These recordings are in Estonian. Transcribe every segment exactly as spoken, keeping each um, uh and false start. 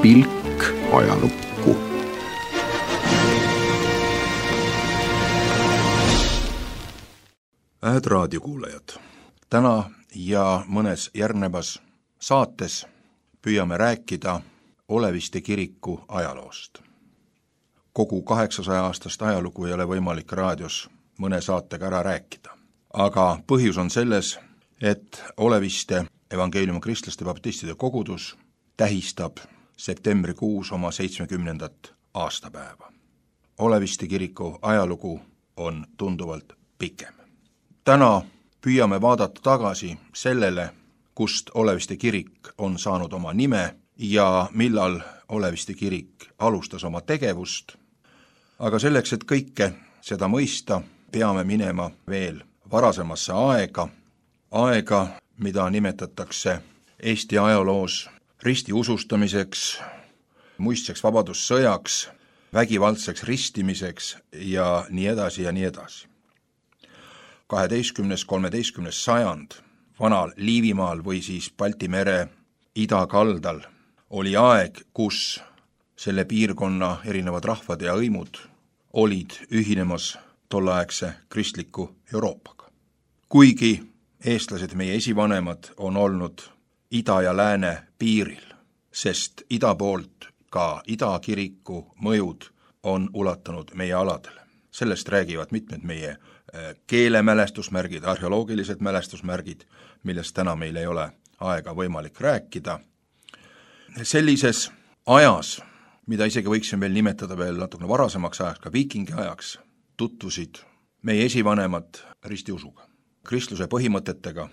pilk ajalukku. Hääd raadiokuulajad, täna ja mõnes järgnevas saates püüame rääkida Oleviste kiriku ajaloost. Kogu kaheksasaja aastast ajalugu ei ole võimalik raadios mõne saatega ära rääkida. Aga põhjus on selles, et Oleviste evangeeliumi kristlaste baptistide kogudus tähistab septembrikuus oma seitsmekümnendat aastapäeva. Oleviste kiriku ajalugu on tunduvalt pikem. Täna püüame vaadata tagasi sellele, kust Oleviste kirik on saanud oma nime ja millal Oleviste kirik alustas oma tegevust. Aga selleks, et kõike seda mõista, peame minema veel varasemasse aega, aega, mida nimetatakse Eesti ajaloos ristiusustamiseks, muistseks vabadussõjaks, vägivaldseks ristimiseks ja nii edasi ja nii edasi. kaheteistkümnes kolmeteistkümnes sajand vanal Liivimaal või siis Balti mere idakaldal oli aeg, kus selle piirkonna erinevad rahvad ja hõimud olid ühinemas tolleaegse kristliku Euroopaga. Kuigi eestlased, meie esivanemad, on olnud ida ja lääne piiril, sest ida poolt ka idakiriku mõjud on ulatunud meie aladele. Sellest räägivad mitmed meie keelemälestusmärgid, arheoloogilised mälestusmärgid, millest täna meil ei ole aega võimalik rääkida. Sellises ajas, mida isegi võiksime veel nimetada veel natukene varasemaks ajaks, ka viikingi ajaks, tutvusid meie esivanemad ristiusuga, kristluse põhimõtetega.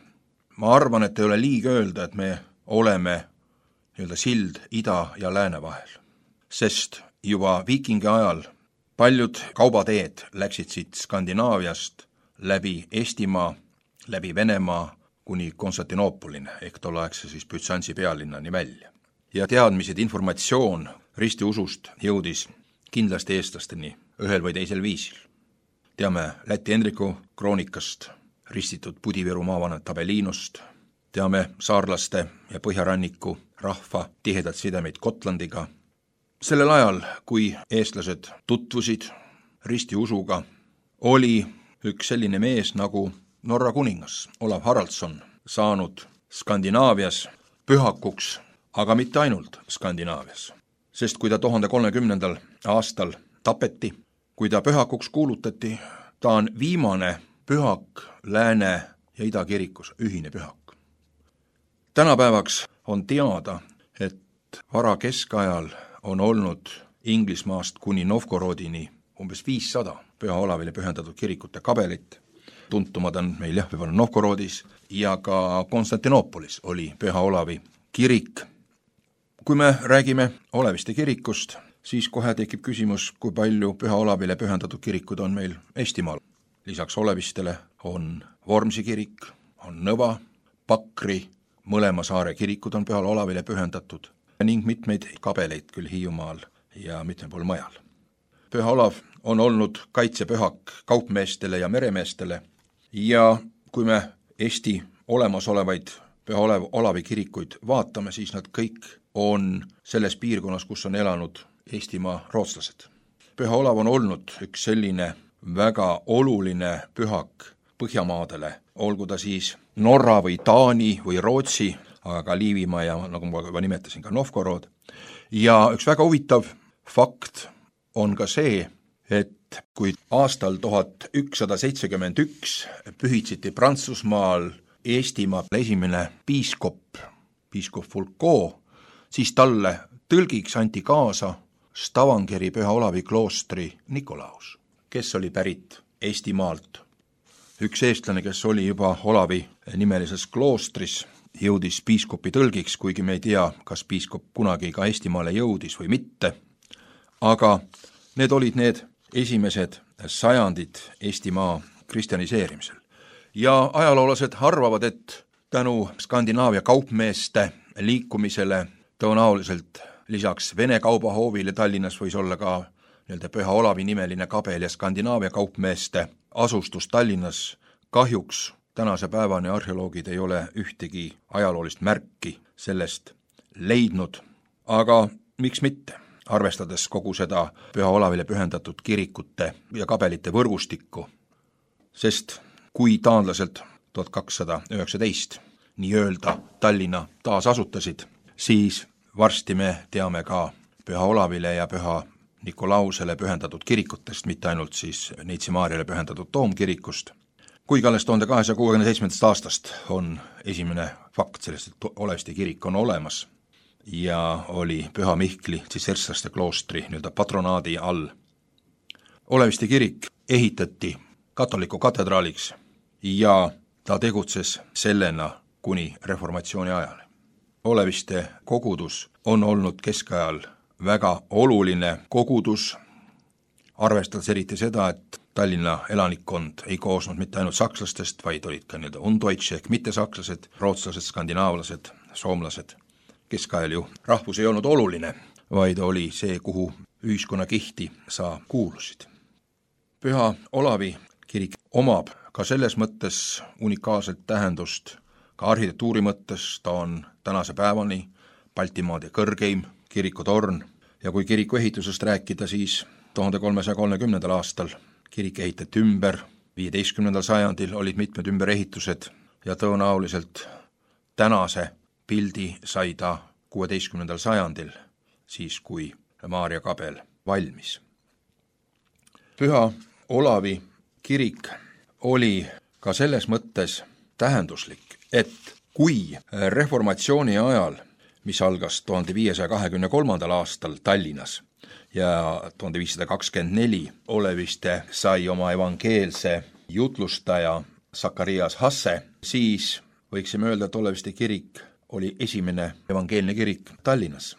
Ma arvan, et ei ole liig öelda, et me oleme nii-öelda sild ida ja lääne vahel, sest juba viikingi ajal paljud kaubateed läksid siit Skandinaaviast läbi Eestimaa, läbi Venemaa kuni Konstantinoopolini ehk tolleaegse siis Bütsantsi pealinnani välja. Ja teadmised, informatsioon ristiusust jõudis kindlasti eestlasteni ühel või teisel viisil. Teame Läti Hendriku kroonikast, ristitud Pudiviru maavanet Tabeliinost, teame saarlaste ja põhjaranniku rahva tihedat sidemeid Gotlandiga. Sellel ajal, kui eestlased tutvusid ristiusuga, oli üks selline mees nagu Norra kuningas Olav Haraldsson saanud Skandinaavias pühakuks, aga mitte ainult Skandinaavias. Sest kui ta tuhande kolmekümnendal aastal tapeti, kui ta pühakuks kuulutati, ta on viimane pühak lääne ja idakirikus, ühine pühak. Tänapäevaks on teada, et vara keskajal on olnud Inglismaast kuni Novgorodini umbes viissada Püha Olavile pühendatud kirikute kabelit. Tuntumad on meil jah, võib-olla Novgorodis ja ka Konstantinoopolis oli Püha Olavi kirik. Kui me räägime Oleviste kirikust, siis kohe tekib küsimus, kui palju Püha Olavile pühendatud kirikud on meil Eestimaal. Lisaks Olevistele on Vormsi kirik, on Nõva, Pakri, mõlema saare kirikud on Pühal Olavile pühendatud ning mitmeid kabeleid küll Hiiumaal ja mitmel pool mujal. Püha Olav on olnud kaitsepühak kaupmeestele ja meremeestele ja kui me Eesti olemasolevaid Püha Olev, Olavi kirikuid vaatame, siis nad kõik on selles piirkonnas, kus on elanud Eestimaa rootslased. Püha Olav on olnud üks selline väga oluline pühak Põhjamaadele, olgu ta siis Norra või Taani või Rootsi, aga ka Liivimaa ja nagu ma juba nimetasin, ka Novgorod. Ja üks väga huvitav fakt on ka see, et kui aastal tuhat ükssada seitsekümmend üks pühitsiti Prantsusmaal Eestimaa esimene piiskop, piiskop Fulco, siis talle tõlgiks anti kaasa Stavangeri Püha Olavi kloostri Nikolaus, kes oli pärit Eestimaalt. Üks eestlane, kes oli juba Olavi nimelises kloostris, jõudis piiskopi tõlgiks, kuigi me ei tea, kas piiskop kunagi ka Eestimaale jõudis või mitte, aga need olid need esimesed sajandid Eestimaa kristjaniseerimisel. Ja ajaloolased arvavad, et tänu Skandinaavia kaupmeeste liikumisele tõenäoliselt lisaks Vene kaubahoovile Tallinnas võis olla ka nii-öelda Püha Olavi nimeline kabel ja Skandinaavia kaupmeeste asustus Tallinnas. Kahjuks tänase päevani arheoloogid ei ole ühtegi ajaloolist märki sellest leidnud, aga miks mitte, arvestades kogu seda Püha Olavile pühendatud kirikute ja kabelite võrgustikku, sest kui taanlaselt tuhat kakssada üheksateist nii-öelda Tallinna taasasutasid, siis varsti me teame ka Püha Olavile ja Püha Nikolausele pühendatud kirikutest, mitte ainult siis Neitsi Maarjale pühendatud toomkirikust, kuigi alles tuhande kahesaja kuuekümne seitsmendast aastast on esimene fakt sellest, et Oleviste kirik on olemas ja oli Püha Mihkli tsisserslaste kloostri nii-öelda patronaadi all. Oleviste kirik ehitati katoliku katedraaliks ja ta tegutses sellena kuni reformatsiooni ajal. Oleviste kogudus on olnud keskajal väga oluline kogudus, arvestades eriti seda, et Tallinna elanikkond ei koosnud mitte ainult sakslastest, vaid olid ka nii-öelda undeutsche ehk mittesakslased, rootslased, skandinaavlased, soomlased. Keskajal ju rahvus ei olnud oluline, vaid oli see, kuhu ühiskonnakihti sa kuulusid. Püha Olavi kirik omab ka selles mõttes unikaalset tähendust, ka arhitektuuri mõttes, ta on tänase päevani Baltimaade kõrgeim kirikutorn ja kui kiriku ehitusest rääkida, siis tuhande kolmesaja kolmekümnendal aastal kirik ehitati ümber, viieteistkümnendal sajandil olid mitmed ümberehitused ja tõenäoliselt tänase pildi sai ta kuueteistkümnendal sajandil, siis kui Maarja kabel valmis. Püha Olavi kirik oli ka selles mõttes tähenduslik, et kui reformatsiooni ajal, mis algas tuhande viiesaja kahekümne kolmandal aastal Tallinnas ja tuhande viissada kakskümmend neli Oleviste sai oma evangeelse jutlustaja Sakarias Hasse, siis võiksime öelda, et Oleviste kirik oli esimene evangeelne kirik Tallinnas.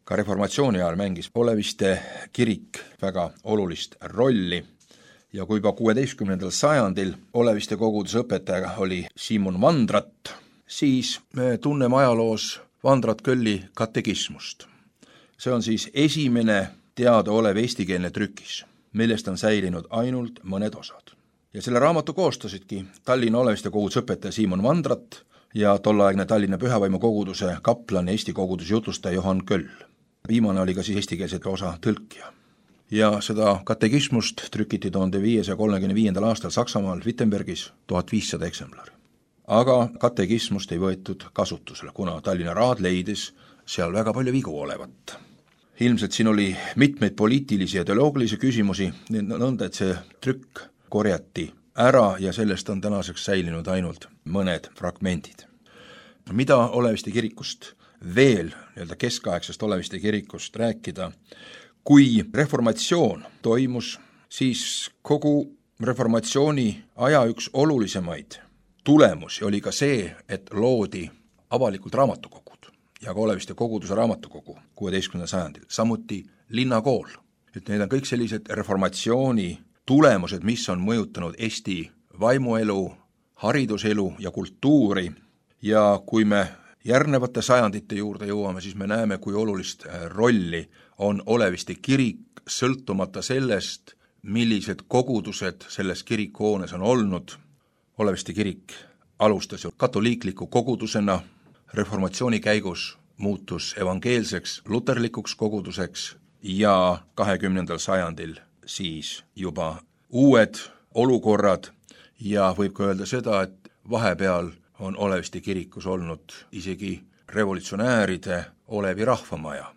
Ka reformatsiooni ajal mängis Oleviste kirik väga olulist rolli ja kui juba kuueteistkümnendal sajandil Oleviste koguduse õpetaja oli Simon Vandrat, siis me tunneme ajaloos Vandrat Kölli katekismust. See on siis esimene teadaolev eestikeelne trükis, millest on säilinud ainult mõned osad. Ja selle raamatu koostasidki Tallinna Oleviste koguduse õpetaja Simon Vandrat ja tolleaegne Tallinna Pühavaimu koguduse kaplan ja Eesti koguduse jutlustaja Johan Köll. Viimane oli ka siis eestikeelse osa tõlkija. Ja seda katekismust trükiti tuhande viiesaja kolmekümne viiendal aastal Saksamaal Wittenbergis tuhat viissada eksemplari. Aga katekismust ei võetud kasutusele, kuna Tallinna raad leidis seal väga palju vigu olevat. Ilmselt siin oli mitmeid poliitilisi ja teoloogilisi küsimusi, nõnda, et see trükk korjati ära ja sellest on tänaseks säilinud ainult mõned fragmendid. Mida Oleviste kirikust veel, nii-öelda keskaegsest Oleviste kirikust rääkida, kui reformatsioon toimus, siis kogu reformatsiooni aja üks olulisemaid tulemusi oli ka see, et loodi avalikult raamatukogud ja ka Oleviste koguduse raamatukogu kuueteistkümnendal sajandil, samuti linnakool. Et need on kõik sellised reformatsiooni tulemused, mis on mõjutanud Eesti vaimuelu, hariduselu ja kultuuri ja kui me järgnevate sajandite juurde jõuame, siis me näeme, kui olulist rolli on Oleviste kirik sõltumata sellest, millised kogudused selles kirikuhoones on olnud. Oleviste kirik alustas ju katoliikliku kogudusena, reformatsiooni käigus muutus evangeelseks luterlikuks koguduseks ja kahekümnendal sajandil siis juba uued olukorrad ja võib ka öelda seda, et vahepeal on Oleviste kirikus olnud isegi revolutsionääride Olevi rahvamaja.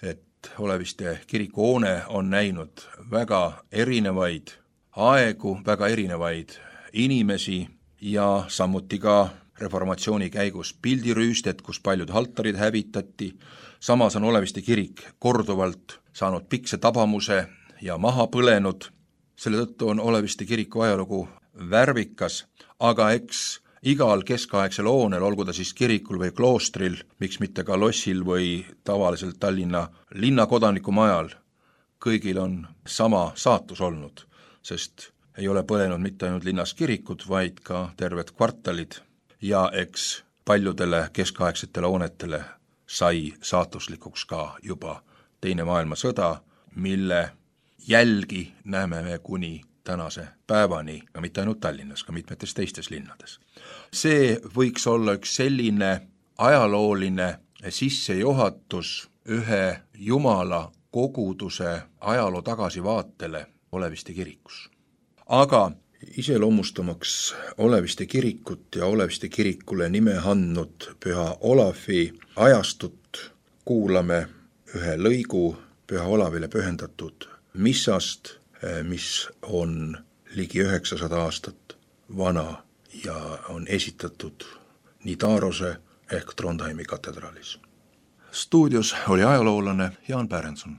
Et Oleviste kirikuhoone on näinud väga erinevaid aegu, väga erinevaid inimesi ja samuti ka reformatsiooni käigus pildirüüstet, kus paljud altarid hävitati. Samas on Oleviste kirik korduvalt saanud pikse tabamuse ja maha põlenud. Selle tõttu on Oleviste kiriku ajalugu värvikas, aga eks igal keskaegsel hoonel, olgu ta siis kirikul või kloostril, miks mitte ka lossil või tavaliselt Tallinna linnakodaniku majal, kõigil on sama saatus olnud, sest ei ole põlenud mitte ainult linnas kirikud, vaid ka terved kvartalid ja eks paljudele keskaegsetele hoonetele sai saatuslikuks ka juba teine maailmasõda, mille jälgi näeme me kuni tänase päevani, ka mitte ainult Tallinnas, ka mitmetes teistes linnades. See võiks olla üks selline ajalooline sissejuhatus ühe Jumala koguduse ajaloo tagasivaatele Oleviste kirikus. Aga iseloomustamaks Oleviste kirikut ja Oleviste kirikule nime andnud püha Olavi ajastut kuulame ühe lõigu püha Olavile pühendatud missast, mis on ligi üheksasada aastat vana ja on esitatud Nidarose ehk Trondheimi katedraalis. Stuudios oli ajaloolane Jaan Pärenson.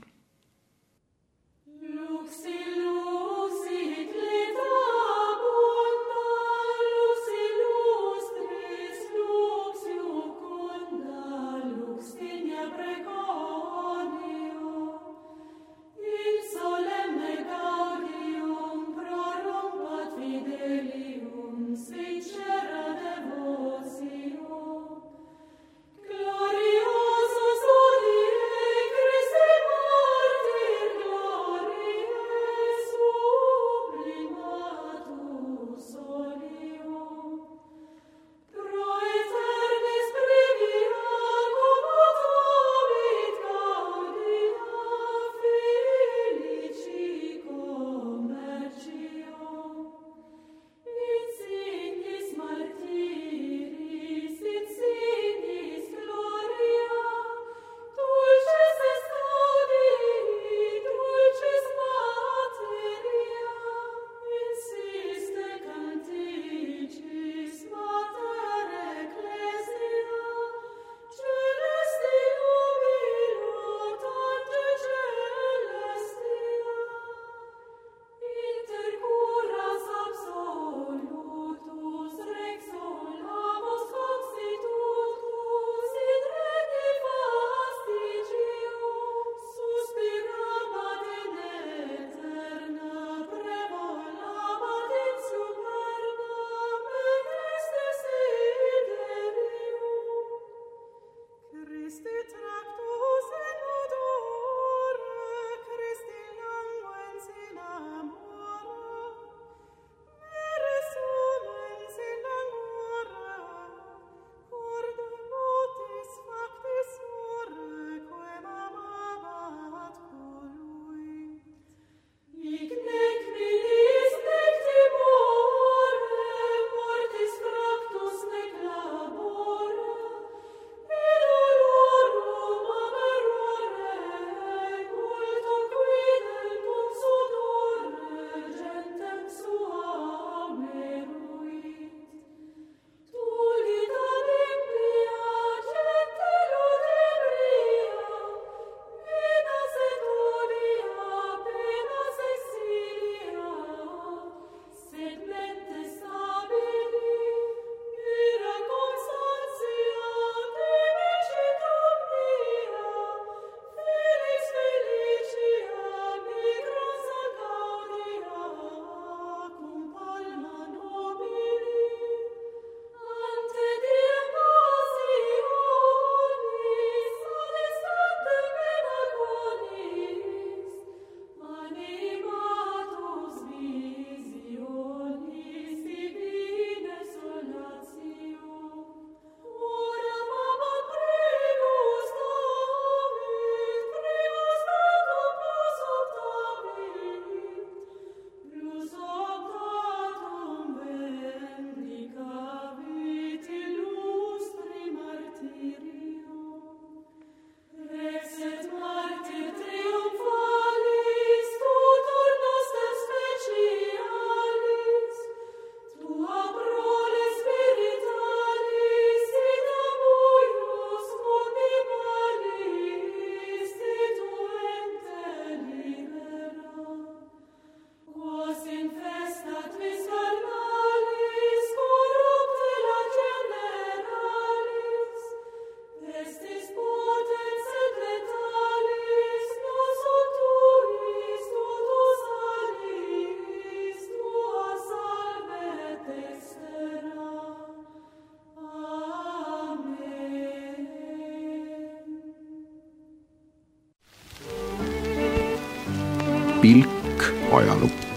pilk ajalukku.